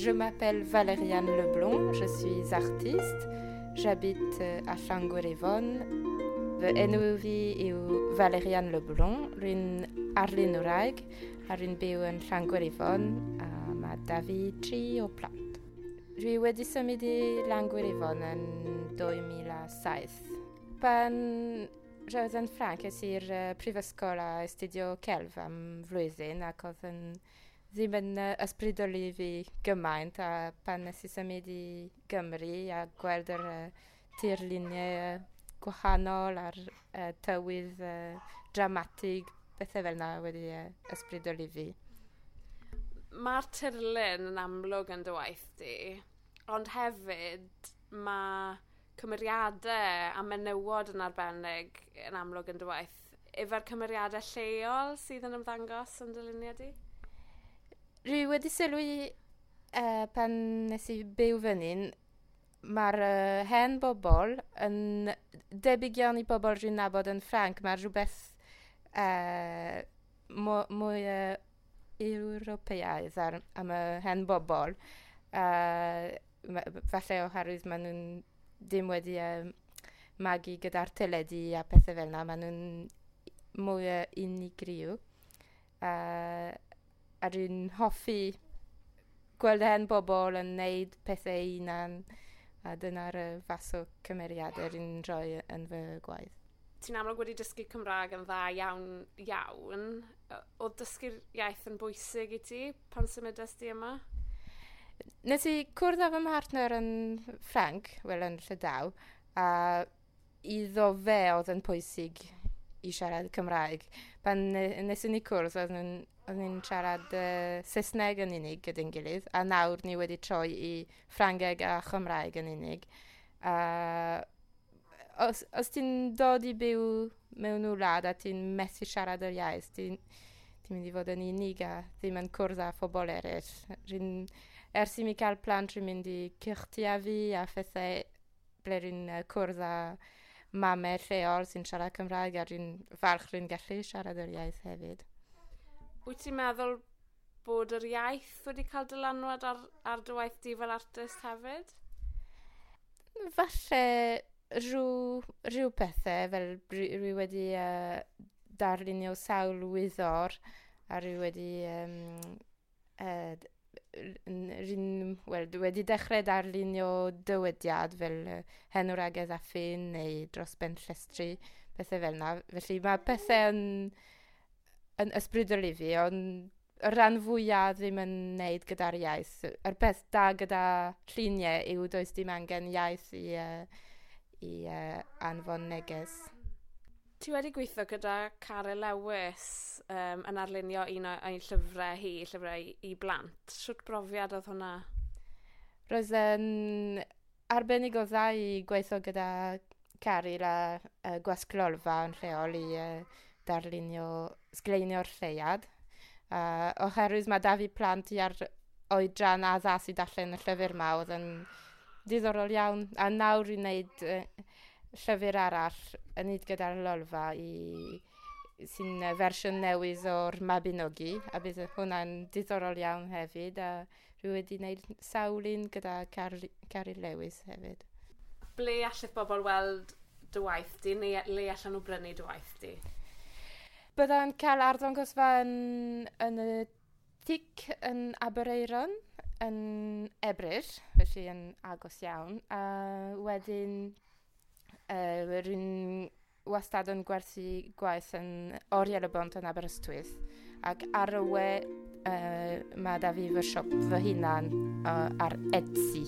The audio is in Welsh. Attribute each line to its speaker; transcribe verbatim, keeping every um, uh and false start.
Speaker 1: Je m'appelle Valériane Leblond, je suis artiste. J'habite a Llangwyryfon. Fy enw fi yw Valériane Leblond, rwy'n arlunwraig a rwy'n byw yn Llangwyryfon a mae da fi tri o plant. Rwy wedi symud i Llangwyryfon yn dwy mil a saith. Pan roedd yn Ffrainc, es i'r prifysgol a astudio celf am flwyddyn ac oedd yn ddim yn ysbrydoli fi gymaint, a pan nes i symud i Gymru a gweld yr tirluniau gwahanol a'r uh, tywydd uh, dramatig, bethau fel yna wedi uh, ysbrydoli fi.
Speaker 2: Mae'r tirlun yn amlwg yn dy waith di, ond hefyd mae cymeriadau a menywod yn arbennig yn amlwg yn dy waith. Efo'r cymeriadau lleol sydd yn ymddangos yn dy luniau di?
Speaker 1: Rwy wedi sylwi uh, pan nes i byw fan hyn, mae'r uh, hen bobl yn debyg iawn i bobl rwy'n nabod yn Ffrainc. Mae rhywbeth uh, mwy uh, Ewropeaidd ar, am y hen bobl. Uh, falle oherwydd maen nhw'n ddim wedi uh, magu gyda'r teledu a pethau fel yna. Maen nhw'n mwy uh, unigryw. Uh, a rwy'n hoffi gweld hen bobl yn neud pethau hunan, a dyna'r fath o cymeriadau rwy'n rhoi yn fy gwaith.
Speaker 2: Ti'n amlwg wedi dysgu Cymraeg yn dda iawn iawn. Oedd dysgu'r iaith yn bwysig i ti pan symudest di yma?
Speaker 1: Nes i cwrdd â fy mhartner yn Ffrainc, wel yn Llydaw, a iddo fe oedd yn pwysig i siarad Cymraeg. Pan nes i ni cwrdd, oedd nhw'n Oedd ni'n siarad uh, Saesneg yn unig gyda'n gilydd, a nawr ni wedi troi i Ffrangeg a Chymraeg yn unig. Uh, os, os ti'n dod i byw mewn wlad a ti'n methu siarad yr iaith, ti'n ti mynd i fod yn unig a ddim yn cwrdd â phobl eraill. Rwy'n, ers i mi cael plant, rwy'n mynd i cyrtiau fi a phethau ble rwy'n cwrdd â mamau lleol sy'n siarad Cymraeg, a rwy'n falch rwy'n gallu siarad yr iaith hefyd.
Speaker 2: Wyt ti'n meddwl bod yr iaith wedi cael dylanwad ar, ar dy waith di fel artist hefyd?
Speaker 1: Falle rhyw, rhyw pethau, fel rwy wedi uh, darlunio sawl wyddor a rwy wedi, um, uh, rwy'n, well, wedi dechrau darlunio dywediad fel uh, hen wragedd a ffyn neu dros ben llestri, pethau fel yna. Felly mae pethau yn yn ysbrydoli fi, ond y rhan fwyaf ddim yn neud gyda'r iaith. Yr peth da gyda lluniau yw does dim angen iaith i, uh, i uh, anfon neges.
Speaker 2: Ti wedi gweithio gyda Caryl Lewis um, yn arlunio un o'i llyfrau hi, llyfrau i, i blant. Shwt brofiad oedd hwnna?
Speaker 1: Roedd yn arbennig o dda i gweithio gyda Caryl a uh, Gwasg Lolfa yn lleol i uh, darlunio, sgleinio'r lleuad. Uh, oherwydd mae da fi plant i ar oedran addas i darllen y llyfr yma, oedd yn diddorol iawn. A nawr i'n wneud uh, llyfr arall yn neud gyda'r Lolfa i, sy'n fersiwn newydd o'r Mabinogi, a bydd hwnna'n diddorol iawn hefyd. A rwy wedi wneud sawl un gyda Caryl Lewis hefyd.
Speaker 2: Ble allith bobl weld dy waith di, neu le allan nhw brynu dy waith di?
Speaker 1: Byddai'n cael arddangosfa yn, yn y Tic yn Aberaeron yn Ebrill, felly yn agos iawn. A wedyn uh, rwy'n wastad yn gwerthu gwaith yn Oriel y Bont yn Aberystwyth. Ac ar y we uh, mae da fi fy siop fy hunan uh, ar Etsy.